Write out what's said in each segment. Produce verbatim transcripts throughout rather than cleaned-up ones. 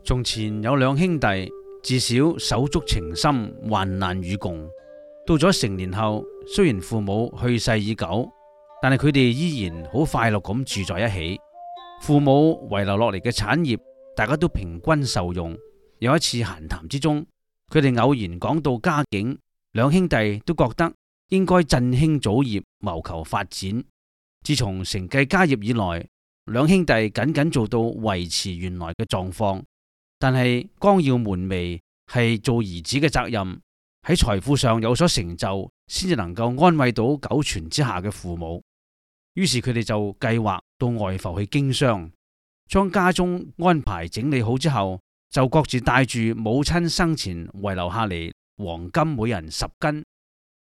從前有兩兄弟，自小手足情深，患難與共。到咗成年後，雖然父母去世已久，但係佢哋依然好快樂咁住在一起。父母遺留落嚟嘅產業，大家都平均受用。有一次閒談之中，佢哋偶然講到家境，兩兄弟都覺得應該振興祖業，謀求發展。自從承繼家業以來，兩兄弟僅僅做到維持原來嘅狀況。但係光耀門楣係做兒子嘅責任，喺財富上有所成就，先至能夠安慰到久存之下嘅父母。於是佢哋就計劃到外埠去經商，將家中安排整理好之後，就各自帶住母親生前遺留下嚟黃金每人十斤，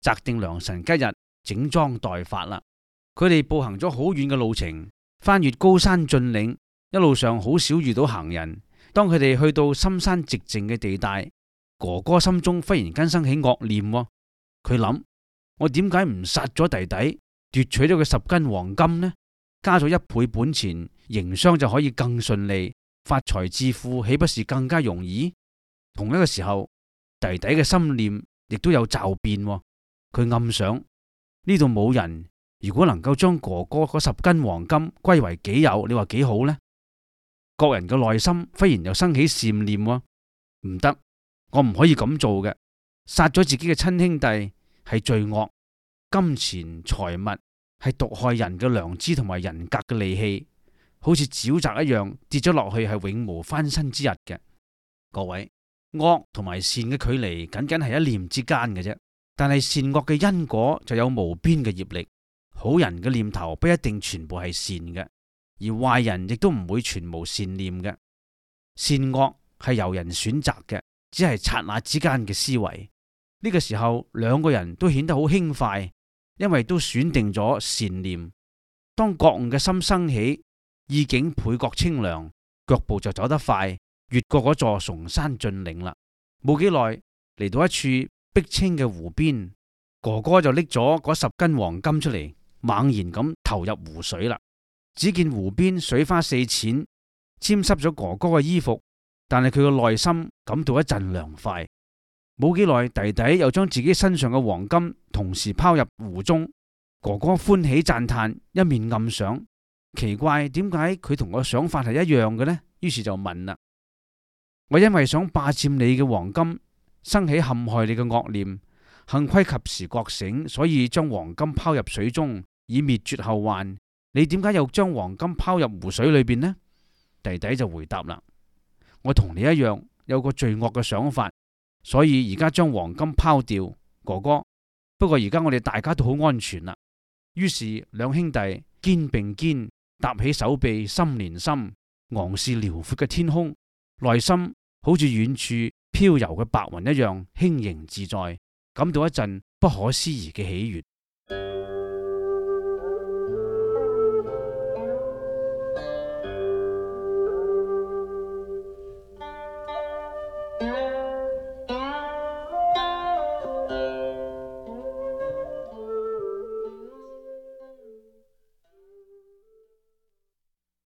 擇定良辰吉日整裝待發啦。佢哋步行咗好遠嘅路程，翻越高山峻嶺，一路上好少遇到行人。當佢哋去到深山寂靜嘅地帶，哥哥心中忽然間生起惡念。佢諗：我點解唔殺咗弟弟，奪取咗佢十斤黃金呢？加咗一倍本錢，營商就可以更順利，發財致富豈不是更加容易？同一個時候，弟弟嘅心念亦都有驟變。佢暗想：呢度冇人，如果能夠將哥哥嗰十斤黃金歸為己有，你話幾好呢？各人嘅內心忽然又生起善念。唔得，我唔可以咁做嘅。殺咗自己嘅親兄弟係罪惡，金錢財物係毒害人嘅良知同埋人格嘅利器，好似沼澤一樣跌咗落去，係永無翻身之日嘅。各位，惡同埋善嘅距離僅僅係一念之間嘅啫，但係善惡嘅因果就有無邊嘅業力。好人嘅念頭不一定全部係善嘅，而壞人亦都唔會全無善念嘅。善惡係由人選擇嘅，只係剎那之間嘅思維。呢個時候，兩個人都顯得好輕快，因為都選定咗善念。當覺悟嘅心生起，意境倍覺清涼，腳步就走得快，越過嗰座崇山峻嶺啦。冇幾耐，嚟到一處碧清嘅湖邊，哥哥就拎咗嗰十斤黃金出嚟，猛然咁投入湖水啦。只見湖邊水花四濺，沾濕咗哥哥嘅衣服，但係佢嘅內心感到一陣涼快。冇幾耐，弟弟又將自己身上嘅黃金同時拋入湖中。哥哥歡喜讚嘆，一面暗想：奇怪，點解佢同我想法係一樣嘅呢？於是就問啦：我因為想霸佔你嘅黃金，生起陷害你嘅惡念，幸虧及時覺醒，所以將黃金拋入水中，以滅絕後患。你點解又將黃金拋入湖水裏邊呢？弟弟就回答啦：我同你一樣有個罪惡嘅想法，所以而家將黃金拋掉。哥哥，不過而家我哋大家都好安全啦。於是兩兄弟肩並肩，搭起手臂，心連心，昂視遼闊嘅天空，內心好似遠處飄游嘅白雲一樣輕盈自在，感到一陣不可思議嘅喜悅。